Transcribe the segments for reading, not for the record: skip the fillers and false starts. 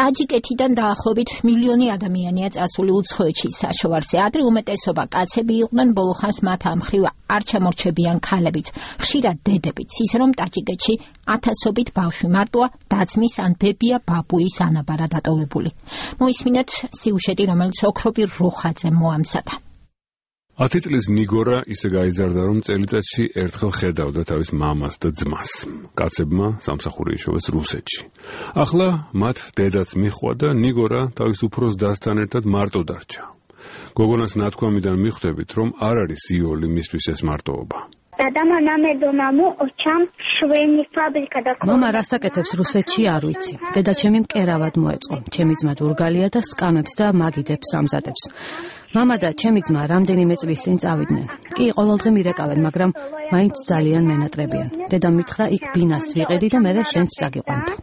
ტაჯიკეთიდან დაახლოებით მილიონი ადამიანია წასული უცხოეთში საშოვარზე. ადრე უმეტესობა კაცები იყვნენ, ბოლო ხანს მათ ამ მხრივ არ ჩამორჩებიან ქალებიც, ხშირად დედებიც, ის რომ ტაჯიკეთში ათასობით ბავშვი მარტოა დაძმის ან ბებია ბაბუის ანაბარა დატოვებული. მოისმინეთ სიუჟეტი, რომელიც ოქრობი რუხაძე მოამზადა. 10 წლის ნიგორა ისე გაიზარდა, რომ წელიწადში ერთხელ ხედავდა თავის მამას და ძმას. კაცებმა სამსახური იშოვეს რუსეთში. ახლა მათ დედაც მიჰყვა და ნიგორა თავის უფროს დასთან ერთად მარტო დარჩა. გოგონას ნათქვამიდან მიხვდებით, რომ არ არის იოლი მისთვის ეს მარტოობა. მამა რასაკეთებს რუსეთში არ ვიცი. დედა ჩემი მკერავად მოეწყო. ჩემი ძმა დურგალია და სკამებს და მაგიდებს ამზადებს. მამა და ჩემი ძმა რამდენიმე წლის წინ წავიდნენ. კი, ყოველდღე მირეკავენ, მაგრამ მაინც ძალიან მენატრებიან. დედამ მითხრა იქ ბინას ვიყიდი და მე შენც საგიყვანთო.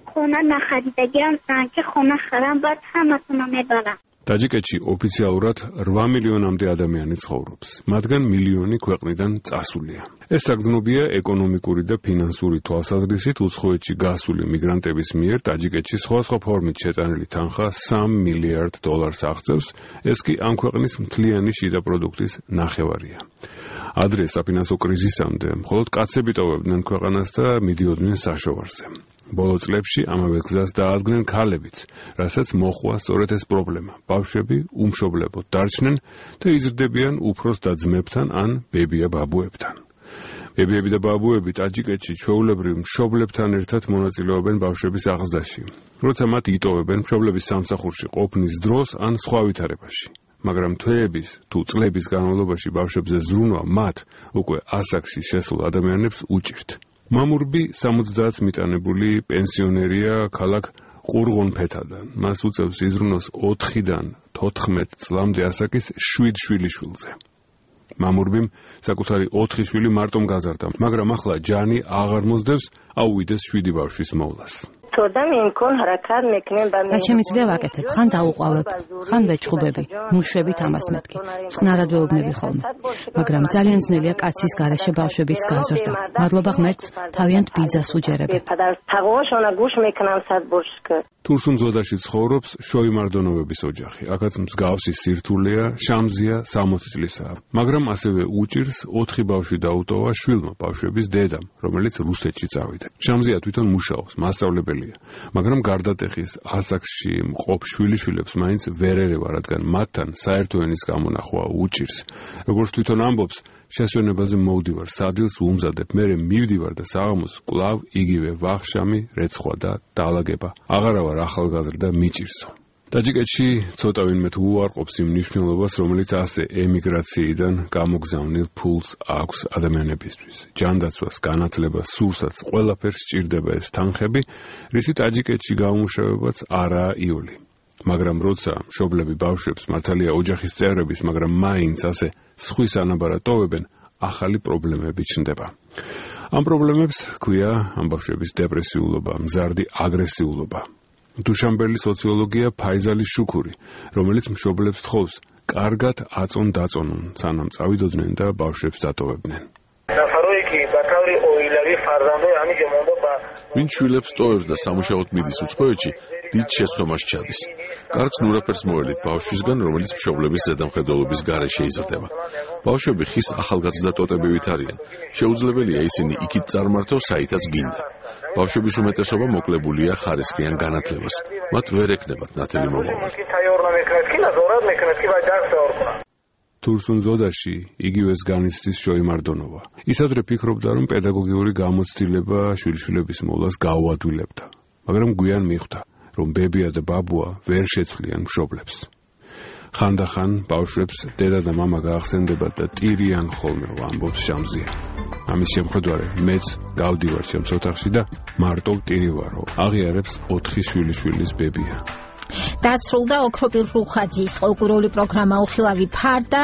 ტაჯიკეთში ოფიციალურად 8 მილიონამდე ადამიანი ცხოვრობს. მათგან მილიონი ქვეყნიდან წასულია. ეს საგრძნობია ეკონომიკური და ფინანსური თვალსაზრისით უცხოეთში გასული მიგრანტების მიერ ტაჯიკეთში სხვადასხვა ფორმით შეტანილი თანხა $3 მილიარდ აღწევს. ეს კი ამ ქვეყნის მთლიანი შიდა პროდუქტის ნახევარია. ადრე საფინანსო კრიზისამდე მხოლოდ კაცები ტოვებდნენ ქვეყანას და მიდიოდნენ საშოვარზე. ბოლო წლებში ამავე გზას დაადგნენ ქალებიც, რასაც მოჰყვა სწორედ ეს პრობლემა. ბავშვები უმშობლებოდ დარჩნენ და იზრდებიან უფროს და ძმებთან ან ბებია ბაბუებთან. ბებიები და ბაბუები ტაჯიკეთში ჩვეულებრივ მშობლებთან ერთად მონაწილეობენ ბავშვების აღზრდაში, როცა მათ იტოვებენ მშობლების სამსახურში ყოფნის დროს ან სხვა ვითარებაში. მაგრამ თვეების თუ წლების განმავლობაში ბავშვებზე ზრუნვა მათ უკვე ასაკში შესულ ადამიანებს უჭირთ. მამურბი 70 მიტანებული პენსიონერია ქალაქ ყურღონფეთადან. მას უწევს იზრუნოს 4-დან 14 წლამდე ასაკის 7 შვილიშვილზე. მამურბიმ საკუთარი 4 შვილი მარტომ გაზარდა, მაგრამ ახლა ჯანი აღარ მოსდევს აუვიდეს 7 ბავშვის მოვლას. რა შემიძლია ვაკეთებ, ხან დაუყვავებ, ხან ვეჩხუბები, მუშვებით ამას მეთქი, წყნარად ვეუბნები ხოლმე. მაგრამ ძალიან ძნელია კაცის გარეშე ბავშვების გაზრდა. მადლობა ღმერთს, თავიანთ ბიძას უჯერებებ. თურსუნძოდაში ცხოვრობს შოიმარდონოვების ოჯახი. აქაც მსგავსი სირთულეა, შამზია 60 წლისაა. მაგრამ ასევე უჭირს 4 ბავშვი დაუტოვა შვილმა ბავშვების დედამ, რომელიც რუსეთში წავიდა. შამზია თვითონ მუშაობს, მასწავლებელია. მაგრამ გარდატეხის ასაკში მყოფ შვილიშვილებს მაინც ვერ ერევა, რადგან მათთან საერთო ენის გამონახვა უჭირს. როგორც თვითონ ამბობს, შესვენებაზე მოვდივარ, სადილს ვუმზადებ, მერე მივდივარ და საღამოს კვლავ იგივე ვახშამი, რეცხვა და დაალაგება. აღარა ვარ ახალგაზრდა, მიჭირსო. ტაჯიკეთში ცოტა ვინმე თუ უარყოფს იმ მნიშვნელობას, რომელიც ასე ემიგრაციიდან გამოგზავნილ ფულს აქვს ადამიანებისთვის. ჯანდაცვას, განათლებას, სურსაც, ყველაფერს სჭირდება ეს თანხები, რისი ტაჯიკეთში გამომუშავებაც არაა იოლი. მაგრამ როცა მშობლები ბავშვებს, მართალია ოჯახის წევრების, მაგრამ მაინც ასე სხვის ანაბარად ტოვებენ, ახალი პრობლემები ჩნდება. ამ პრობლემებს ჰქვია ამ ბავშვების დეპრესიულობა, მზარდი აგრესიულობა. დუშანბელის სოციოლოგია ფაიზალის შუქური, რომელიც მშობლებს თხოვს კარგად აწონ-დაწონონ, სანამ წავიდოდნენ და ბავშვებს დატოვებდნენ. ვინ შვილებს ტოვებს და სამუშაოდ მიდის უცხოეთში, დიდ შეცდომას ჩადის. კარგს ნურაფერს მოელით ბავშვისგან, რომელიც მშობლების ზედამხედველობის გარეშე იზრდება. ბავშვები ხის ახალგაზრდა ტოტებივით არიან. შეუძლებელია ისინი იქით წარმართოს, საითაც გინდა. ბავშვების უმეტესობა მოკლებულია ხარისხიან განათლებას. მათ ვერ ექნებათ ნათელი მომავალი. თურსუნძოდაში იგივეს განიცდის შოიმარდონოვა. ის ადრე ფიქრობდა, რომ პედაგოგიური გამოცდილება შვილიშვილების მოვლას გაუადვილებდა, მაგრამ გვიან მიხვდა, რომ ბებია და ბაბუა ვერ შეცვლიან მშობლებს. ხანდახან ბავშვებს დედა და მამა გაახსენდებათ და ტირიან ხოლმე, ამბობს შამზია. ამის შემხედარე მეც გავდივარ ჩემს ოთახში და მარტო ტირივარო. აღიარებს 4 შვილიშვილის ბებია. დასრულდა ოქრობი რუხაძის ყოლკურული პროგრამა უხილავი ფარდა.